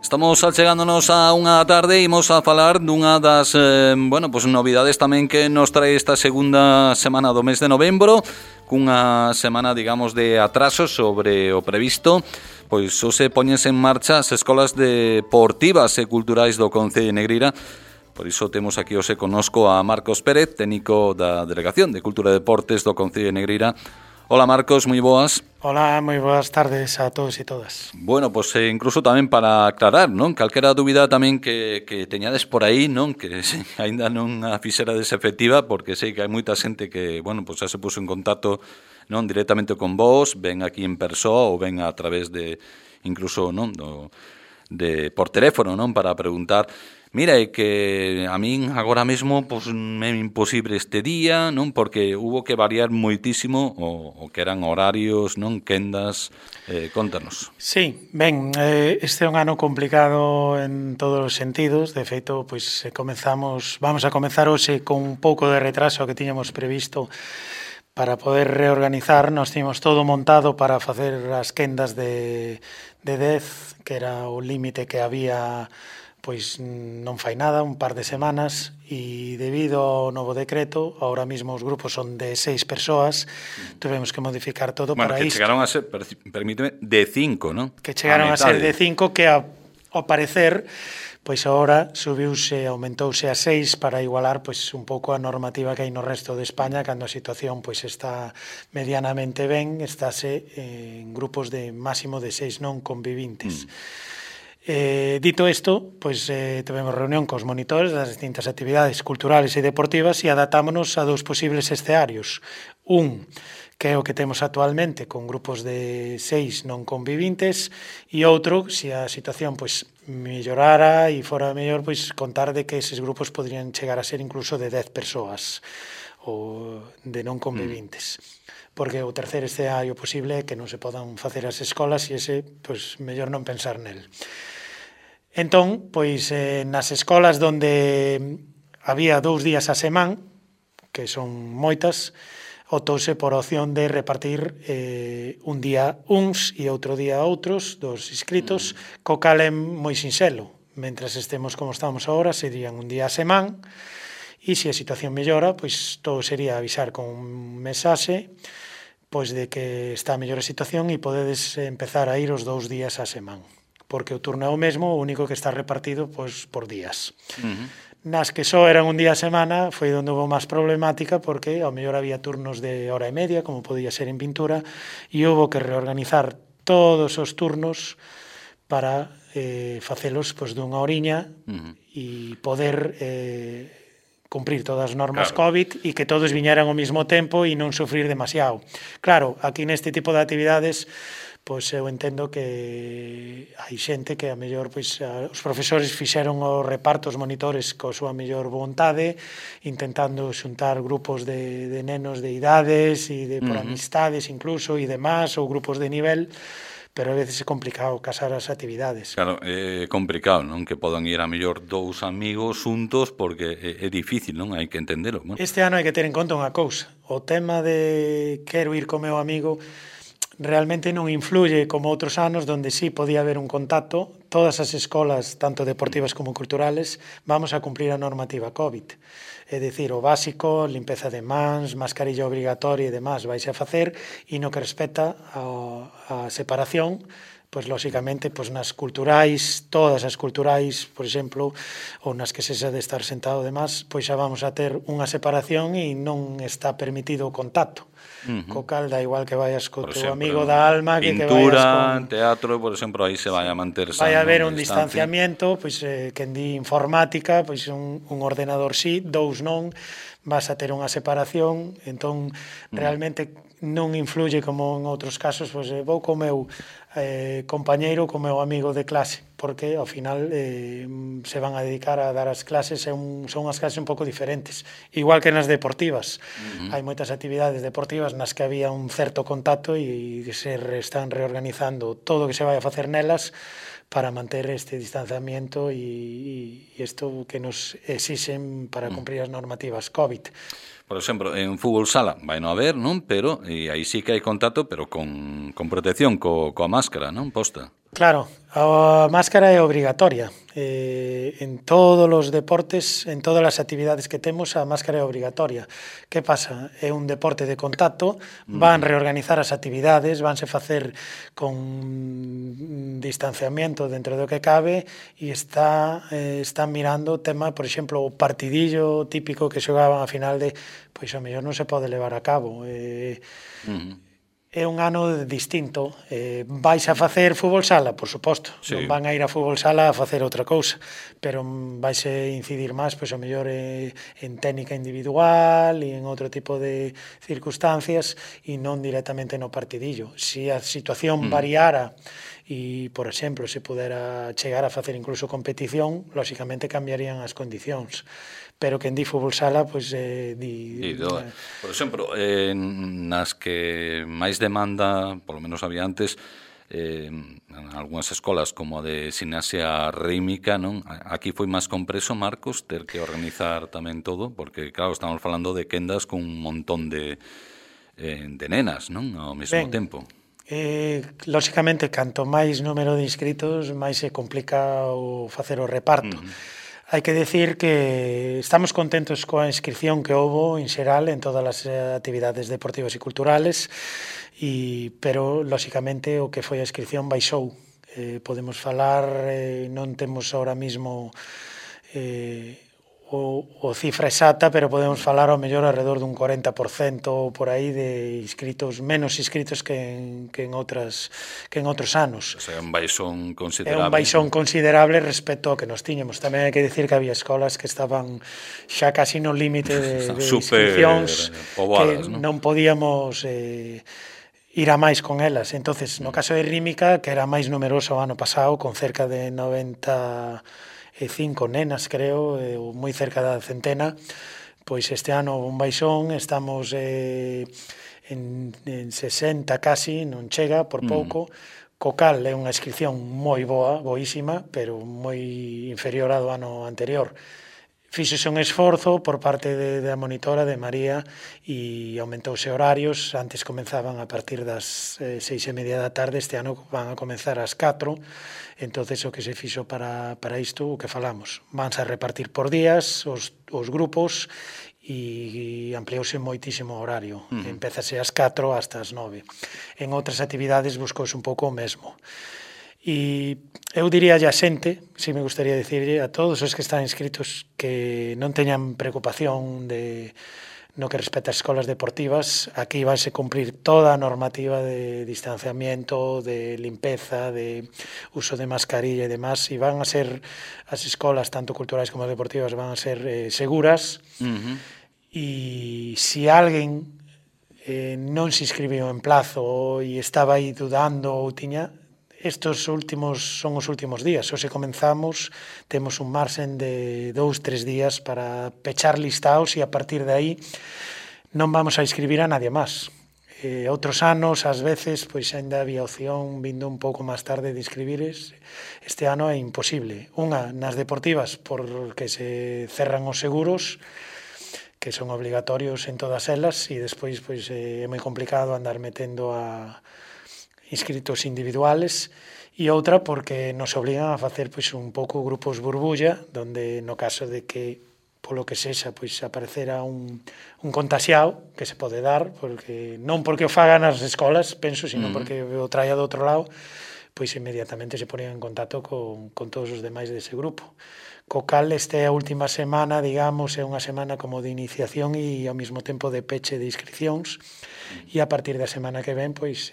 Estamos achegándonos a unha tarde e imos a falar dunha das novidades tamén que nos trae esta segunda semana do mes de novembro, cunha semana, digamos, de atraso sobre o previsto. Pois hoxe poñense en marcha as escolas deportivas e culturais do Concello de Negreira. Por iso temos aquí hoxe connosco a Marcos Pérez, técnico da Delegación de Cultura e Deportes do Concello de Negreira. Hola Marcos, moi boas. Hola, moi boas tardes a todos e todas. Bueno, pois incluso tamén para aclarar, non? Calquera dúbida tamén que teñades por aí, non? Que aínda non a fixerades efectiva, porque sei que hai moita xente que, bueno, pois xa se puso en contacto, non, directamente con vos, ven aquí en persoa ou ven a través de, incluso, non, por teléfono, non? Para preguntar. Mira, é que a min agora mesmo pois, é imposible este día, non? Porque hubo que variar moitísimo o que eran horarios, non? Quendas, contanos. Sí, ben, este é un ano complicado en todos os sentidos. De feito, pois vamos a comezar hoxe con un pouco de retraso que tiñamos previsto para poder reorganizar. Nos tiñamos todo montado para facer as quendas de 10, que era o límite que había. Pois non fai nada, un par de semanas, e debido ao novo decreto, ahora mesmo os grupos son de 6 persoas, tuvemos que modificar todo para isto. Bueno, que chegaron a ser, permíteme, de 5, non? Que chegaron a ser de 5, que ao parecer, pois agora aumentouse a 6 para igualar pois un pouco a normativa que hai no resto de España, cando a situación pois está medianamente ben, estáse en grupos de máximo de 6 non convivintes. Dito isto, pois tivemos reunión cos monitores das distintas actividades culturales e deportivas e adaptámonos a dous posibles escenarios. Un, que é o que temos actualmente, con grupos de 6 non convivintes, e outro, se a situación pois mellorara e fora mellor, pois contar de que eses grupos podrían chegar a ser incluso de 10 persoas ou de non convivintes. Porque o terceiro escenario posible é que non se podan facer as escolas e ese, pois, mellor non pensar nel. Entón, pois, nas escolas onde había 2 días a semana, que son moitas, optouse por a opción de repartir un día uns e outro día outros dos inscritos, co cal é moi sinxelo. Mentras estemos como estamos agora, serían un día a semana, e se a situación mellora, pois todo sería avisar con un mensaxe pois de que está a mellor a situación e podedes empezar a ir os 2 días a semana. Porque o turno é o mesmo, o único que está repartido pois por días. Nas que só eran un día a semana foi onde houve máis problemática, porque ao mellor había turnos de hora e media, como podía ser en pintura, e houve que reorganizar todos os turnos para facelos pois dunha horiña e poder cumprir todas as normas COVID e que todos viñeran ao mesmo tempo e non sufrir demasiado. Claro, aquí neste tipo de actividades, pois eu entendo que hai xente que a mellor pois os profesores fixeron o reparto, os monitores coa súa mellor vontade, intentando xuntar grupos de nenos de idades e por amistades incluso e demás, ou grupos de nivel, pero a veces é complicado casar as actividades. Claro, é complicado, non? Que podan ir a mellor 2 amigos xuntos, porque é difícil, non? Hai que entendelo. Bueno. Este ano hai que ter en conta unha cousa. O tema de quero ir co meu amigo realmente non influye como outros anos, donde sí podía haber un contacto. Todas as escolas, tanto deportivas como culturales, vamos a cumprir a normativa COVID. É dicir, o básico, limpeza de mans, mascarilla obrigatoria e demás vais a facer, e no que respecta a separación, pois lóxicamente pois nas culturais, todas as culturais, por exemplo, ou nas que sexa de estar sentado e demás, pois xa vamos a ter unha separación e non está permitido o contacto. Co cal da igual que vayas co teu amigo da alma, que vayas con pintura, teatro, por exemplo, aí se vai a manter vai a haber un distanciamiento, pois quen di informática, pois un ordenador sí, 2 non, vas a ter unha separación, entón realmente non influye como en outros casos, pois vou co meu compañeiro, co meu amigo de clase, porque ao final se van a dedicar a dar as clases, son as clases un pouco diferentes, igual que nas deportivas. Hai moitas actividades deportivas nas que había un certo contacto e se están reorganizando todo o que se vai a facer nelas para manter este distanciamiento e isto que nos exixen para cumprir as normativas COVID. Por exemplo, en fútbol sala vai non haber, non? Pero aí sí que hai contacto, pero con protección, coa máscara, non? Posta. Claro, a máscara é obrigatoria. En todos os deportes, en todas as actividades que temos, a máscara é obrigatoria. Que pasa? É un deporte de contacto, van reorganizar as actividades, vanse facer con distanciamiento dentro do que cabe e están mirando o tema, por exemplo, o partidillo típico que xogaban a final de, pois a mellor non se pode levar a cabo. É un ano distinto. Vais a facer fútbol sala, por suposto. Sí. Non van a ir a fútbol sala a facer outra cousa, pero vais a incidir máis, pois a mellor en técnica individual e en outro tipo de circunstancias e non directamente no partidillo. Se a situación variara e, por exemplo, se pudera chegar a facer incluso competición, lóxicamente cambiarían as condicións. Pero quen di fútbol sala, pois por exemplo, nas que máis demanda, polo menos había antes, en algunhas escolas como a de gimnasia rítmica, non? Aquí foi máis compreso, Marcos, ter que organizar tamén todo, porque, claro, estamos falando de quendas con un montón de nenas, non? Ao mesmo tempo. Lóxicamente, canto máis número de inscritos, máis se complica o facer o reparto. Hai que decir que estamos contentos coa inscripción que houbo en xeral en todas as actividades deportivas e culturales, pero, lóxicamente, o que foi a inscripción baixou. Podemos falar, non temos ahora mismo o cifra exacta, pero podemos falar ao mellor alrededor dun 40% ou por aí de inscritos, menos inscritos que en outros anos. O sea, un baixón considerable. É un baixón considerable respecto ao que nos tiñemos. Tamén hai que decir que había escolas que estaban xa casi no límite de inscripcións, que non podíamos ir a máis con elas. Entonces, no caso de Rítmica, que era máis numeroso o ano pasado, con cerca de 95 nenas, creo, moi cerca da centena, pois este ano un baixón, estamos en 60 casi, non chega, por pouco, co cal é unha inscripción moi boa, boísima, pero moi inferior ao do ano anterior. Fíxose un esforzo por parte da monitora de María e aumentouse horarios. Antes comenzaban a partir das 6:30 da tarde, este ano van a comenzar ás 4. Entonces o que se fixo para isto, o que falamos, vanse a repartir por días os grupos e ampliouse moitísimo o horario. Empezase ás 4 hasta as 9. En outras actividades buscouse un pouco o mesmo. E eu diría a xente, si me gustaría dicirlle a todos os que están inscritos, que non teñan preocupación no que respecta ás escolas deportivas. Aquí vanse cumprir toda a normativa de distanciamiento, de limpeza, de uso de mascarilla e demás, e van a ser as escolas, tanto culturais como deportivas, van a ser seguras. E se alguén non se inscribiu en plazo e estaba aí dudando ou tiña, estes son os últimos días. Hoxe comenzamos, temos un marxen de 2-3 días para pechar listaos e a partir de aí non vamos a inscribir a nadie máis. Outros anos, ás veces, pois ainda había opción vindo un pouco máis tarde de inscribires. Este ano é imposible. Unha, nas deportivas, porque se cerran os seguros, que son obligatorios en todas elas, e despois pois é moi complicado andar metendo a inscritos individuales, e outra porque nos obligan a facer pois un pouco grupos burbulla, donde no caso de que polo que sexa pois aparecera un contaxiado, que se pode dar, porque non porque o fagan as escolas, penso, sino porque o traia do outro lado, pois inmediatamente se ponían en contacto con todos os demais dese grupo. Co cal, esta última semana, digamos, é unha semana como de iniciación e ao mesmo tempo de peche de inscripcións, e a partir da semana que ven, pois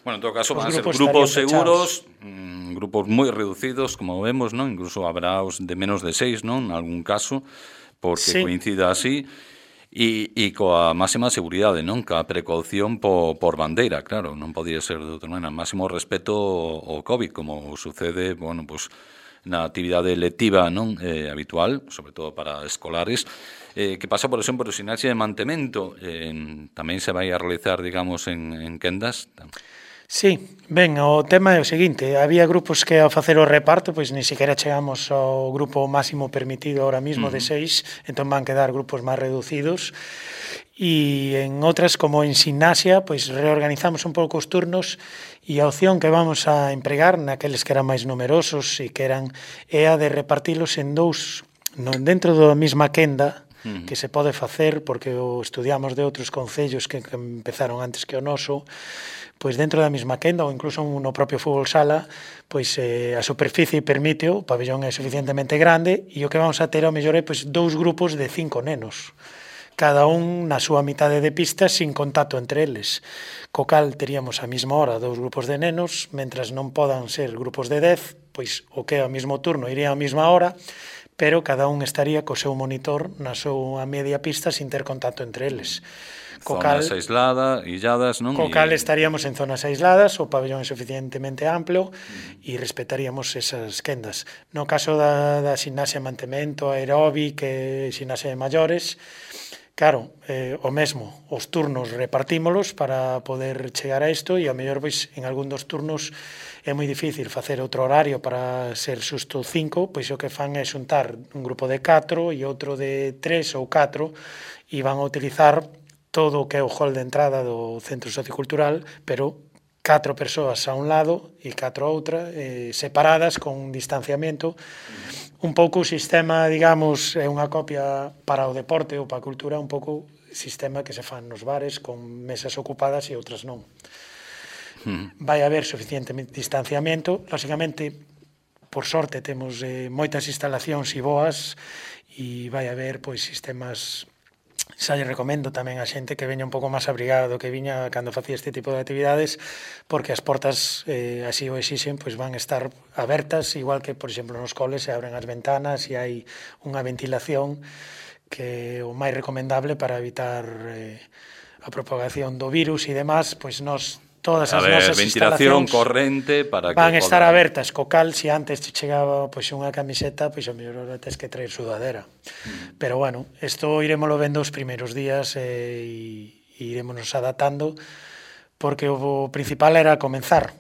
bueno, en todo caso, van a ser grupos seguros, grupos moi reducidos, como vemos, non? Incluso habrá os de menos de 6, non? En algún caso, porque coincida así, e coa máxima seguridade, non? Coa precaución por bandeira, claro, non podía ser de outra maneira. Máximo respeto ao COVID, como sucede, bueno, pues, na actividade lectiva, non? Habitual, sobre todo para escolares. Que pasa, por exemplo, o gimnasia de mantemento, tamén se vai a realizar, digamos, en quendas? Sí, ben, o tema é o seguinte, había grupos que ao facer o reparto, pois ni siquiera chegamos ao grupo máximo permitido ahora mismo de 6, entón van quedar grupos máis reducidos, e en outras, como en gimnasia, pois reorganizamos un pouco os turnos, e a opción que vamos a empregar naqueles que eran máis numerosos e que eran é a de repartilos en dous, dentro da mesma quenda, que se pode facer, porque o estudiamos de outros concellos que empezaron antes que o noso, pois dentro da mesma quenda ou incluso no propio fútbol sala, pois a superficie permite, o pabellón é suficientemente grande e o que vamos a ter ao mellor é pois dous grupos de 5 nenos, cada un na súa mitade de pista sin contacto entre eles. Co cal teríamos a mesma hora dous grupos de nenos, mentras non podan ser grupos de 10, pois o que é ao mesmo turno iría á mesma hora, pero cada un estaría co seu monitor na súa media pista sin ter contacto entre eles. Zonas illadas, non? Co cal estaríamos en zonas aisladas, o pabellón é suficientemente amplo e respetaríamos esas quendas. No caso da ximnasia mantemento, aeróbic e ximnasia de maiores, claro, o mesmo, os turnos repartímolos para poder chegar a isto e ao mellor pois en algún dos turnos é moi difícil facer outro horario para ser xusto 5, pois o que fan é xuntar un grupo de 4 e outro de 3 ou 4 e van a utilizar todo o que é o hall de entrada do centro sociocultural, pero 4 persoas a un lado e 4 a outra, separadas con distanciamento. Un pouco o sistema, digamos, é unha copia para o deporte ou para a cultura, un pouco sistema que se fan nos bares con mesas ocupadas e outras non. Vai haber suficiente distanciamento. Lógicamente, por sorte, temos moitas instalacións e boas e vai haber pois sistemas. Xa lle recomendo tamén a xente que veña un pouco máis abrigada do que viña cando facía este tipo de actividades, porque as portas, así o exixen, pois van estar abertas, igual que, por exemplo, nos coles se abren as ventanas e hai unha ventilación que é o máis recomendable para evitar a propagación do virus e demás, pois nos todas as nosas ventilación corrente para que van estar abertas, co cal se antes te chegaba pois unha camiseta, pois ao mellor tes que traer sudadera. Pero bueno, isto iremoslo vendo os primeiros días e iremos adaptando, porque o principal era comenzar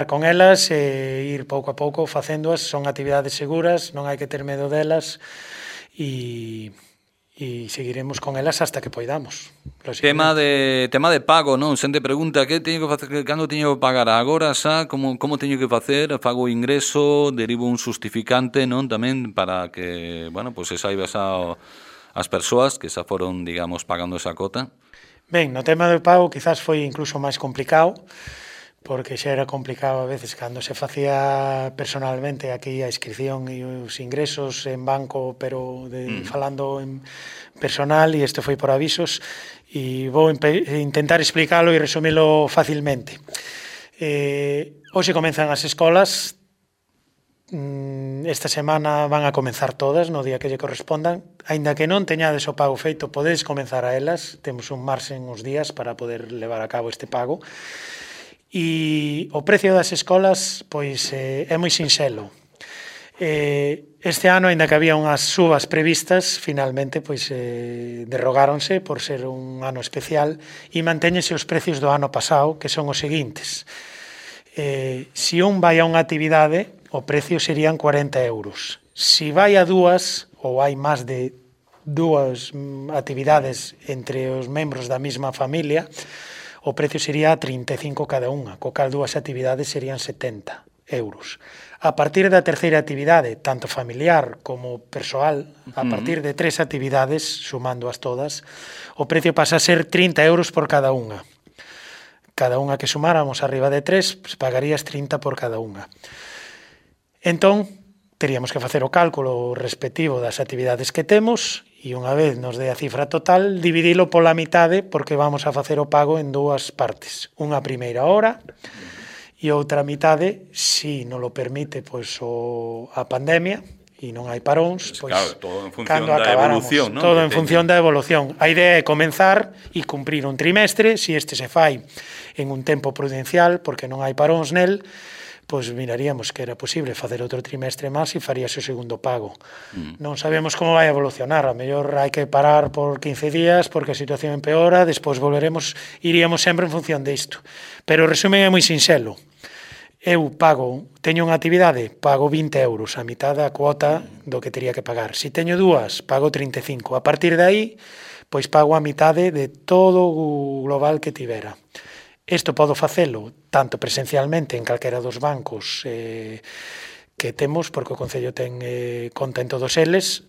con elas e ir pouco a pouco facéndoas. Son actividades seguras, non hai que ter medo delas e seguiremos con elas hasta que poidamos. Tema de pago, non? Xente pregunta que teño que facer, cando teño que pagar agora, xa, como teño que facer? Fago ingreso, derivo un justificante, non? Tamén para que, bueno, pois se saiba xa as persoas que xa foron, digamos, pagando esa cota. Ben, no tema do pago quizás foi incluso máis complicado, porque xa era complicado a veces cando se facía personalmente aquí a inscripción e os ingresos en banco, pero falando en personal, e isto foi por avisos, e vou intentar explicalo e resumilo facilmente. Hoxe comenzan as escolas, esta semana van a comenzar todas no día que lle correspondan, aínda que non teñades o pago feito, podedes comenzar a elas, temos un marxen uns días para poder levar a cabo este pago. E o precio das escolas pois é moi sinxelo. Este ano, aínda que había unhas subas previstas, finalmente pois derrogáronse por ser un ano especial e mantéñense os precios do ano pasado, que son os seguintes. Se un vai a unha actividade, o precio serían 40 euros. Se vai a dúas, ou hai máis de dúas actividades entre os membros da mesma familia, o precio sería 35 cada unha, co cal dúas actividades serían 70 euros. A partir da terceira actividade, tanto familiar como persoal, a partir de 3 actividades, sumándoas todas, o precio pasa a ser 30 euros por cada unha. Cada unha que sumáramos arriba de 3, pues, pagarías 30 por cada unha. Entón, teríamos que facer o cálculo respectivo das actividades que temos e unha vez nos dé a cifra total, dividilo pola mitade, porque vamos a facer o pago en dúas partes. Unha primeira hora e outra mitade, se non lo permite pois a pandemia e non hai paróns, pois claro, todo en función da evolución, non? Todo en función da evolución. A idea é comenzar e cumprir un trimestre, se este se fai en un tempo prudencial, porque non hai paróns nel, pois miraríamos que era posible facer outro trimestre máis e faríase o segundo pago. Non sabemos como vai evolucionar, a mellor hai que parar por 15 días porque a situación empeora, despois iríamos sempre en función disto. Pero o resumen é moi sinxelo. Eu teño unha actividade, pago 20 euros, a mitad da cuota do que teria que pagar. Se teño dúas, pago 35. A partir de aí, pois pago a mitade de todo o global que tivera. Isto podo facelo tanto presencialmente en calquera dos bancos que temos, porque o Concello ten conta en todos eles,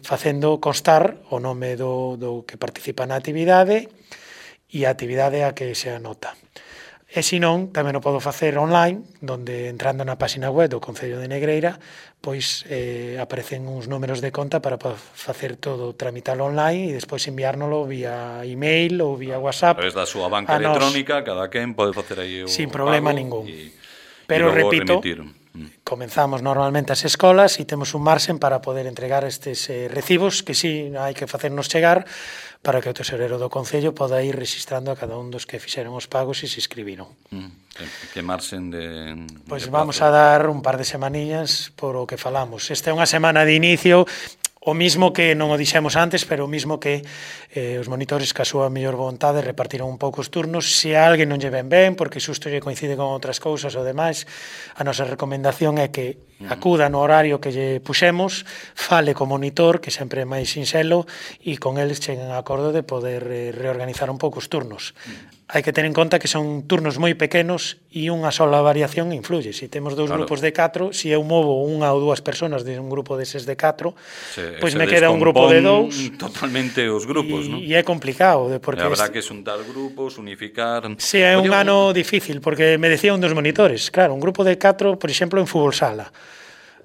facendo constar o nome do que participa na actividade e a actividade a que se anota. E se non, tamén o podo facer online, donde entrando na página web do Concello de Negreira, pois aparecen uns números de conta para facer todo, tramitalo online e despois enviárnolo vía email ou vía WhatsApp. A través da súa banca electrónica, cada quen pode facer aí o sin problema pago ningún. Pero repito, remitir. Comenzamos normalmente as escolas e temos un marxen para poder entregar estes recibos que sí hai que facernos chegar para que o tesorero do Concello poda ir registrando a cada un dos que fixeron os pagos e se inscribiron. Que marxen de... Pois vamos a dar un par de semaniñas por o que falamos. Esta é unha semana de inicio, o mismo que non o dixemos antes, pero o mismo que os monitores ca súa mellor vontade repartiron un pouco os turnos. Se a alguén non lle ven ben, porque xusto lle coincide con outras cousas ou demais, a nosa recomendación é que acuda no horario que lle puxemos, fale co monitor, que sempre é máis sinxelo, e con eles cheguen a acordo de poder reorganizar un pouco os turnos. Hai que ter en conta que son turnos moi pequenos e unha sola variación influye. Se temos dous grupos de 4, se eu movo unha ou dúas personas de un grupo deses de 4, pois me queda un grupo de 2. Totalmente os grupos, non? E é complicado. Porque habrá que xuntar grupos, unificar... Si, é un ano difícil, porque me decía un dos monitores, claro, un grupo de 4, por exemplo, en fútbol sala,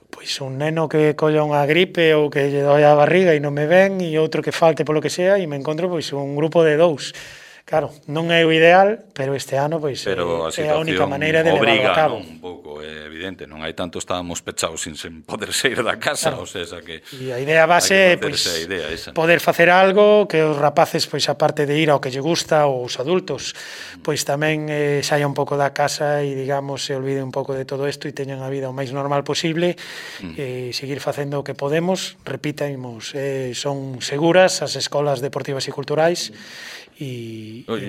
pois un neno que colla unha gripe ou que lle doi a barriga e non me ven, e outro que falte polo que sea, e me encontro pois un grupo de 2. Claro, non é o ideal, pero este ano pois é a única maneira de levarlo a cabo. Un pouco, é evidente, non hai tanto, estábamos pechados sin poder sair da casa, claro. O sea, que e a idea base é pois, poder facer algo que os rapaces, pois aparte de ir ao que lle gusta, ou os adultos, pois tamén saia un pouco da casa e, digamos, se olvide un pouco de todo isto e teñan a vida o máis normal posible e seguir facendo o que podemos. Repitamos, son seguras as escolas deportivas e culturais.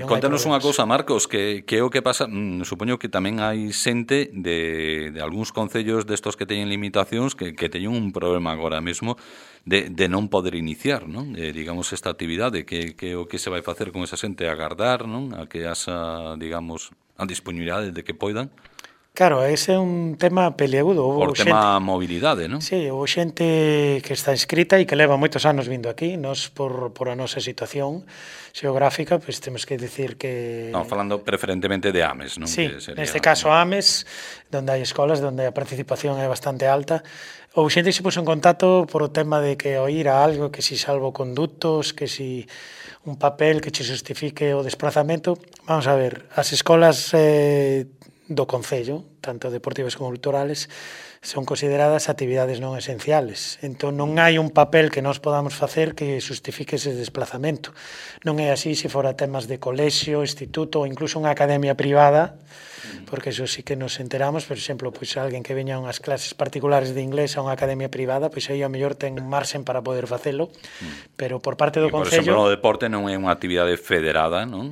Contanos unha cousa, Marcos, que é o que pasa, supoño que tamén hai xente de algúns concellos destos que teñen limitacións que teñen un problema agora mesmo de non poder iniciar, non? Digamos, esta actividade, que o que se vai facer con esa xente, agardar, non? A que haxa, digamos, a disponibilidade de que poidan. Claro, ese é un tema peliagudo. Por tema mobilidade, non? Sí, houve xente que está inscrita e que leva moitos anos vindo aquí. Nos, por a nosa situación xeográfica, pois temos que dicir que... Non, falando preferentemente de Ames, non? Sí, neste caso Ames, donde hai escolas donde a participación é bastante alta. Houve xente que se puso en contacto por o tema de que ao ir a algo, que si salvoconductos, que si un papel que che justifique o desplazamento. Vamos a ver, as escolas do Concello, tanto deportivas como culturales, son consideradas actividades non esenciales. Entón, non hai un papel que nós podamos facer que justifique ese desplazamento. Non é así se fora temas de colexio, instituto ou incluso unha academia privada, porque eso sí que nos enteramos. Por exemplo, pois alguén que veña a unhas clases particulares de inglés a unha academia privada, pois aí a mellor ten marxen para poder facelo, pero por parte do Concello... Por exemplo, o deporte non é unha actividade federada, non?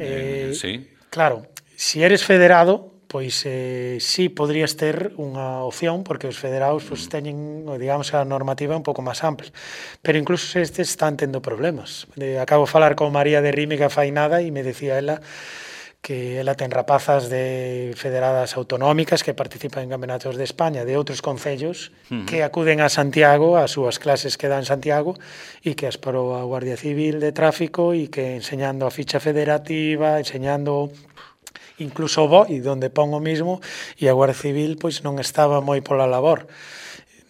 Sí. Claro, se eres federado, pois sí podrías ter unha opción, porque os federados pois, teñen, digamos, a normativa un pouco máis ampla. Pero incluso estes están tendo problemas. Acabo de falar con María de Rímiga fai nada e me decía ela que ela ten rapazas de federadas autonómicas que participan en campeonatos de España de outros concellos que acuden a Santiago, as súas clases que dan en Santiago, e que as parou a Guardia Civil de Tráfico e que enseñando a ficha federativa, enseñando... incluso o BOI, donde pon o mismo, e a Guardia Civil pois non estaba moi pola labor.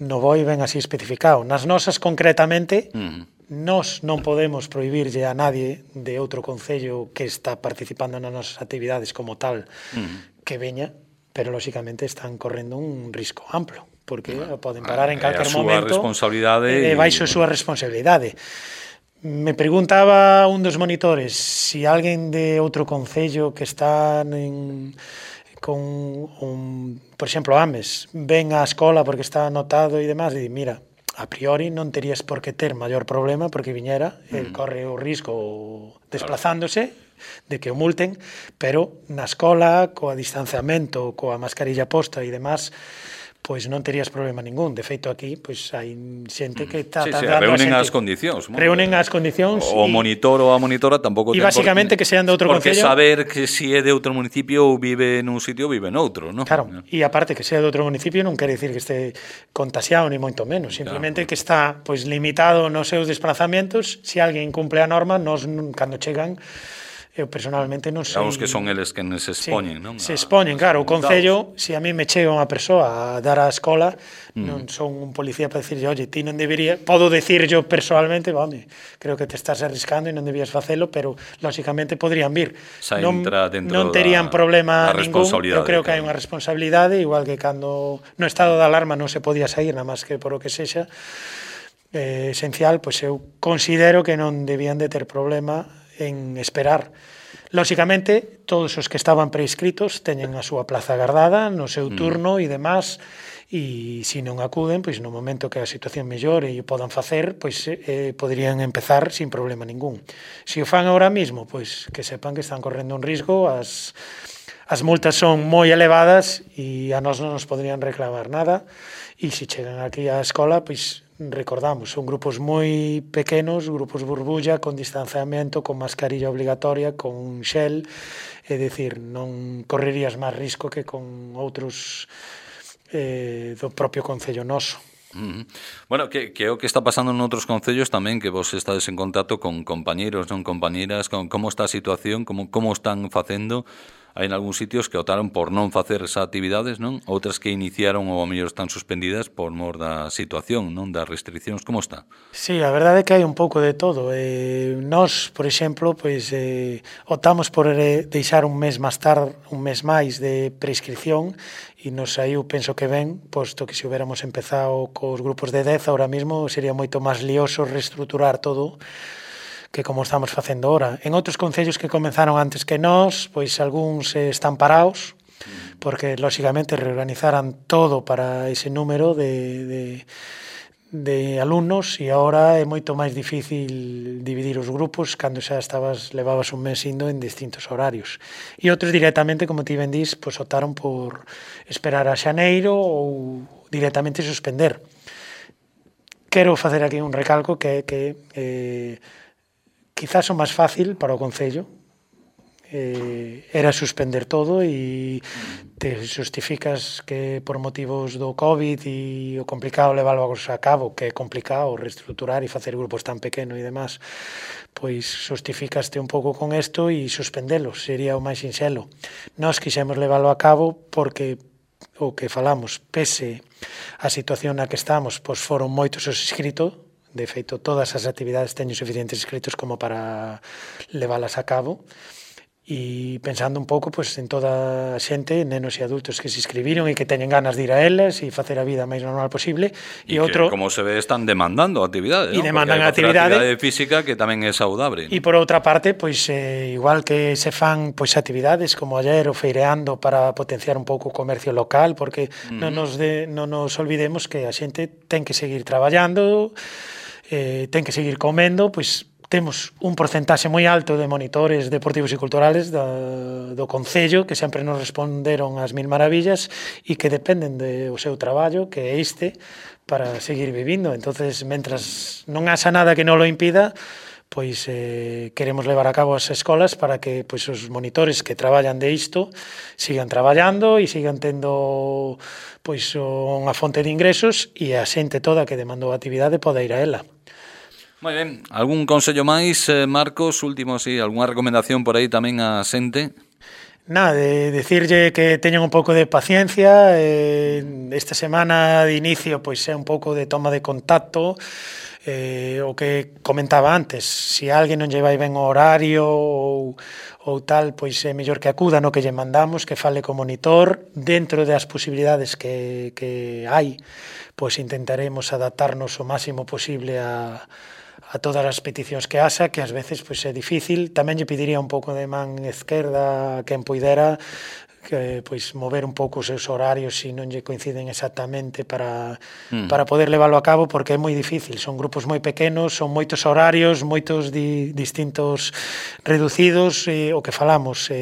No BOI ven así especificado. Nas nosas, concretamente, nós non podemos prohibirlle a nadie de outro concello que está participando nas nosas actividades como tal que veña, pero, lóxicamente, están correndo un risco amplo, porque poden parar en calquer momento e baixo a súa responsabilidade. Me preguntaba un dos monitores se alguén de outro concello que está por exemplo, Ames, ven á escola porque está anotado e demás, e di, mira, a priori non terías por que ter maior problema porque viñera, el corre o risco desplazándose de que o multen, pero na escola, coa distanciamento, coa mascarilla posta e demás, pois non terías problema ningún. De feito, aquí, pois hai xente que está dando reúnen as condicións. Reúnen as condicións. O monitor ou a monitora tampouco ten basicamente que sean de outro porque concello. Saber que si é de outro municipio ou vive nun sitio ou vive noutro, non? Claro, e aparte que sea de outro municipio non quere dicir que este contaxiado, ni moito menos. Simplemente que está pois limitado nos seus desplazamentos. Se alguén cumple a norma, nos cando chegan, eu personalmente non sei... Digamos que son eles que se expoñen, non? Se expoñen, claro. O concello, se a mí me chega unha persoa a dar á escola, non son un policía para dicirlle, oye, ti non debería... Podo dicir yo personalmente, vale, creo que te estás arriscando e non debías facelo, pero, lóxicamente, podrían vir. Non terían problema ningún. Eu creo que hai unha responsabilidade, igual que cando no estado de alarma non se podía sair, nada máis que por o que sexa, esencial, pois eu considero que non debían de ter problema en esperar. Lóxicamente, todos os que estaban prescritos teñen a súa plaza agardada no seu turno e demás, e se non acuden, pois no momento que a situación mellore e o podan facer, pois poderían empezar sin problema ningún. Se o fan ahora mismo, pois que sepan que están correndo un risco, as multas son moi elevadas e a nós non nos poderían reclamar nada, e se chegan aquí á escola, pois recordamos, son grupos moi pequenos, grupos burbulla, con distanciamento, con mascarilla obligatoria, con xel, é dicir, non correrías máis risco que con outros do propio concello noso. Bueno, que é o que está pasando noutros concellos tamén, que vos estades en contacto con compañeiros, non compañeiras, con como está a situación, como están facendo. Hai en algúns sitios que optaron por non facer esas actividades, non? Outras que iniciaron ou ao mellor están suspendidas por mor da situación, non? Das restriccións. Como está? Sí, a verdade é que hai un pouco de todo. Nós, por exemplo, pois optamos por deixar un mes máis tarde, un mes máis de prescripción e nos saiu, penso que ben, posto que se hubiéramos empezado cos grupos de 10, ahora mismo sería moito máis lioso reestruturar todo que como estamos facendo ahora. En outros concellos que comenzaron antes que nós, pois algúns están parados, porque, lóxicamente, reorganizaran todo para ese número de alumnos e agora é moito máis difícil dividir os grupos cando xa levabas un mes indo en distintos horarios. E outros directamente, como ti ben dís, pois optaron por esperar a xaneiro ou directamente suspender. Quero facer aquí un recalco que quizás o máis fácil para o concello era suspender todo e te justificas que por motivos do COVID e o complicado leválo a cabo, que é complicado reestruturar e facer grupos tan pequenos e demás, pois justificaste un pouco con isto e suspendelos, sería o máis sinxelo. Nós quixemos leválo a cabo porque o que falamos, pese a situación na que estamos, pois foron moitos os inscritos. De feito, todas as actividades teñen suficientes inscritos como para leválas a cabo. E pensando un pouco pois, en toda a xente, nenos e adultos que se inscribiron e que teñen ganas de ir a elas e facer a vida máis normal posible. E outro, que, como se ve, están demandando actividade, e demandan actividade física que tamén é saudable, ¿no? E por outra parte, pois igual que se fan pois actividades como ayer o feireando para potenciar un pouco o comercio local, porque non nos olvidemos que a xente ten que seguir traballando, ten que seguir comendo, pois temos un porcentaxe moi alto de monitores deportivos e culturales do Concello que sempre nos responderon as mil maravillas e que dependen do seu traballo, que é este, para seguir vivindo. Entonces, mentras non haxa nada que non lo impida, pois queremos levar a cabo as escolas para que pois os monitores que traballan de isto sigan traballando e sigan tendo pois unha fonte de ingresos e a xente toda que demandou a actividade poda ir a ela. Moi ben, algún consello máis, Marcos, último, sí, algunha recomendación por aí tamén a xente? Nada, de decirlle que teñan un pouco de paciencia, esta semana de inicio pois é un pouco de toma de contacto, o que comentaba antes, se alguén non lle vai ben o horario ou tal, pois é mellor que acuda no que lle mandamos, que fale co monitor, dentro das posibilidades que hai, pois intentaremos adaptarnos o máximo posible a todas as peticións que haxa, que ás veces pois é difícil. Tamén lle pediría un pouco de man esquerda a quen poidera, que pois mover un pouco os seus horarios se non lle coinciden exactamente para poder leválo a cabo, porque é moi difícil, son grupos moi pequenos, son moitos horarios, moitos distintos reducidos, o que falamos,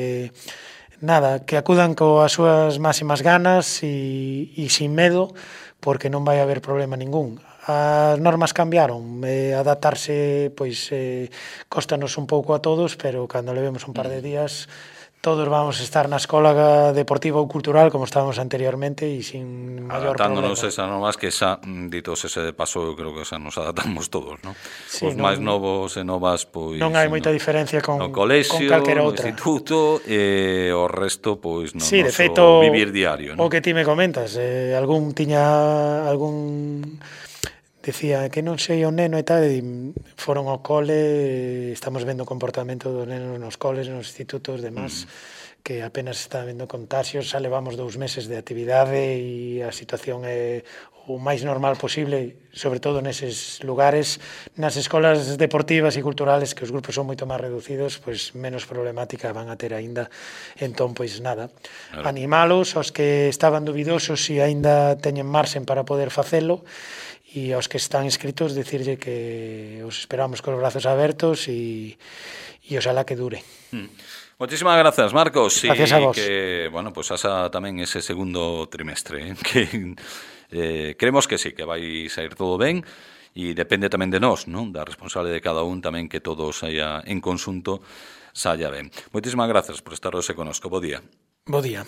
nada, que acudan coas súas máximas ganas e sin medo, porque non vai haber problema ningún. As normas cambiaron, adaptarse pois cóstanos un pouco a todos, pero cando levemos un par de días todos vamos a estar na escola deportiva ou cultural como estábamos anteriormente e sin maior adaptándonos problema. esas normas que xa, ditos ese de paso, eu creo que xa nos adaptamos todos, non? Sí, os máis novos e novas, pois non hai moita diferencia con colexio, calquera no outra. instituto e o resto, pois, no sí, de noso feito, vivir diario, non? O que ti me comentas, algún decía que non sei o neno e tal, e foron ao cole, estamos vendo o comportamento dos nenos nos coles, nos institutos, demás, que apenas está vendo contagios, xa levamos 2 meses de actividade e a situación é o máis normal posible, sobre todo neses lugares, nas escolas deportivas e culturales, que os grupos son moito máis reducidos, pois menos problemática van a ter aínda. Entón, pois nada, animalos, aos que estaban dubidosos e aínda teñen marxen para poder facelo, e aos que están inscritos dicirlle que os esperamos cos brazos abertos e oxalá que dure. Moitísimas grazas, Marcos. Gracias a vos. Que, bueno, pues asa tamén ese segundo trimestre, que creemos que sí, que vai sair todo ben, e depende tamén de nós, non? Da responsable de cada un tamén que todo saia en conxunto saia ben. Moitísimas grazas por estar hoxe conosco. Bo día. Bo día.